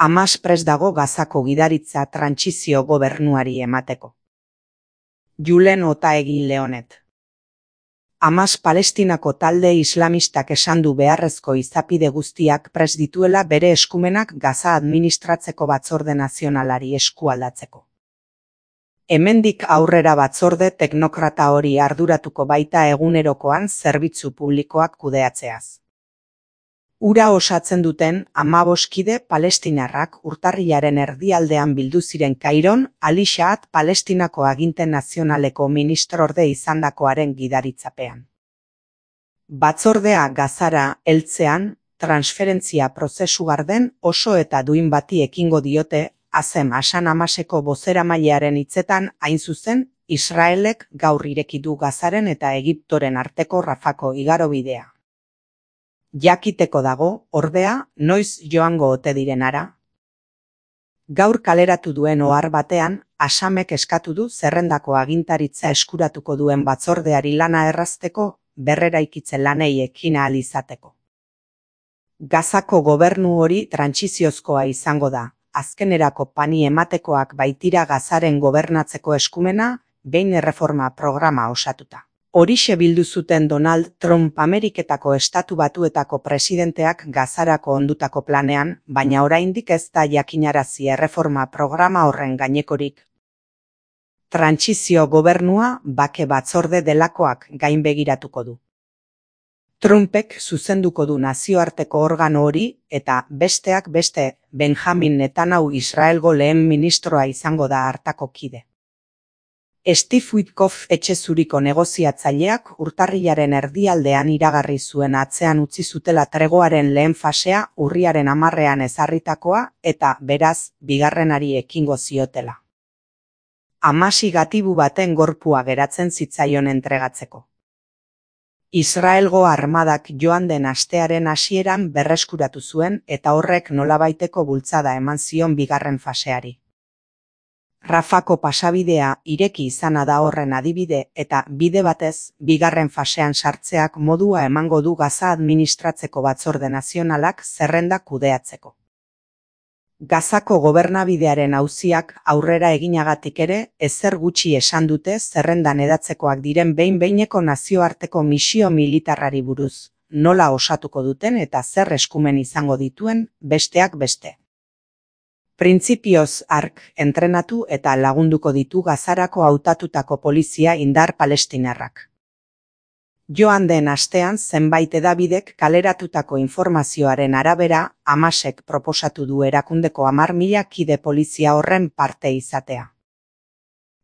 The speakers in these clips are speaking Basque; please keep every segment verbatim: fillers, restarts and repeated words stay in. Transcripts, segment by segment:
Hamas prest dago Gazako gidaritza trantsizio gobernuari emateko. Julen Otaegin Leonet. Hamas Palestinako talde islamistak esan du beharrezko izapide guztiak prest dituela bere eskumenak Gaza administratzeko batzorde nazionalari eskualdatzeko. Hemendik aurrera batzorde teknokrata hori arduratuko baita egunerokoan zerbitzu publikoak kudeatzeaz. Ura osatzen duten hamabost kide palestinarrak urtarrilaren erdialdean bildu ziren Kairon, Ali Shahat Palestinako aginte nazionaleko ministrorde izandakoaren gidaritzapean. Batzordea Gazara heltzean, transferentzia prozesu garden oso eta duin bati ekingo diote, Azem Hasan Hamaseko bozeramailearen hitzetan hain zuzen, Israelek gaur ireki du Gazaren eta Egiptoren arteko Rafako igarobidea. Jakiteko dago, ordea, noiz joango ote direnara. Gaur kaleratu duen ohar batean, Hasamek eskatu du zerrendako agintaritza eskuratuko duen batzordeari lana errazteko, berreraikitze lanei ekin ahal izateko. Gazako gobernu hori trantsiziozkoa izango da, azkenerako pani ematekoak baitira Gazaren gobernatzeko eskumena, behin erreforma programa osatuta. Horixe bildu zuten Donald Trump Ameriketako Estatu Batuetako presidenteak Gazarako ondutako planean, baina oraindik ez da jakinarazi erreforma programa horren gainekorik. Trantsizio gobernua bake batzorde delakoak gainbegiratuko du. Trumpek zuzenduko du nazioarteko organo hori eta besteak beste Benjamin Netanyahu Israelgo lehen ministroa izango da hartako kide. Steve Witkoff etxe zuriko negoziatzaileak urtarrilaren erdialdean iragarri zuen atzean utzi zutela tregoaren lehen fasea urriaren hamarrean ezarritakoa eta beraz bigarrenari ekingo ziotela. Hamasi gatibu baten gorpua geratzen zitzaion entregatzeko. Israelgo armadak joan den astearen hasieran berreskuratu zuen eta horrek nolabaiteko bultzada eman zion bigarren faseari. Rafako pasabidea ireki izana da horren adibide eta bide batez, bigarren fasean sartzeak modua emango du Gaza administratzeko batzorde nazionalak zerrenda kudeatzeko. Gazako gobernabidearen auziak aurrera eginagatik ere, ezer gutxi esan dute zerrendan edatzekoak diren behin-behineko nazioarteko misio militarrari buruz, nola osatuko duten eta zer eskumen izango dituen, besteak beste. Printzipioz ark entrenatu eta lagunduko ditu Gazarako hautatutako polizia indar palestinarrak. Joan den astean zenbait hedabidek kaleratutako informazioaren arabera, Hamasek proposatu du erakundeko hamar mila kide polizia horren parte izatea.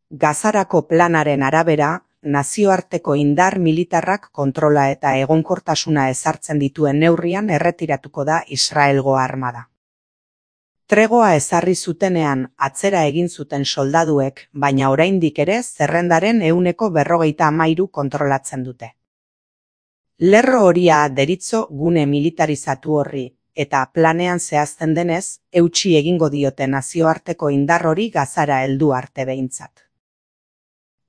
Gazarako planaren arabera, nazioarteko indar militarrak kontrola eta egonkortasuna ezartzen dituen neurrian erretiratuko da Israelgo armada. Tregoa ezarri zutenean atzera egin zuten soldaduek, baina oraindik ere zerrendaren ehuneko berrogeita hamairu kontrolatzen dute. Lerro horia deritzo gune militarizatu horri, eta planean zehazten denez, eutsi egingo diote nazioarteko indar hori Gazara heldu arte behintzat.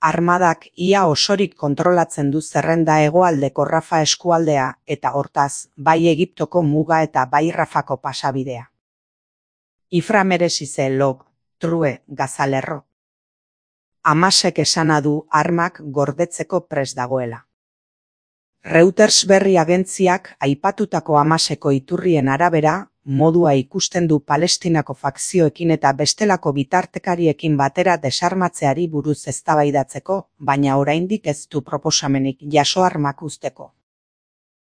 Armadak ia osorik kontrolatzen du zerrenda hegoaldeko Rafa eskualdea eta hortaz, bai Egiptoko muga eta bai Rafako pasabidea. Ifra meresize log, true, Gazalerro. Hamasek esana du armak gordetzeko prest dagoela. Reuters berri agentziak aipatutako Hamaseko iturrien arabera, modua ikusten du Palestinako fakzioekin eta bestelako bitartekariekin batera desarmatzeari buruz eztabaidatzeko, baina oraindik ez du proposamenik jaso armak uzteko.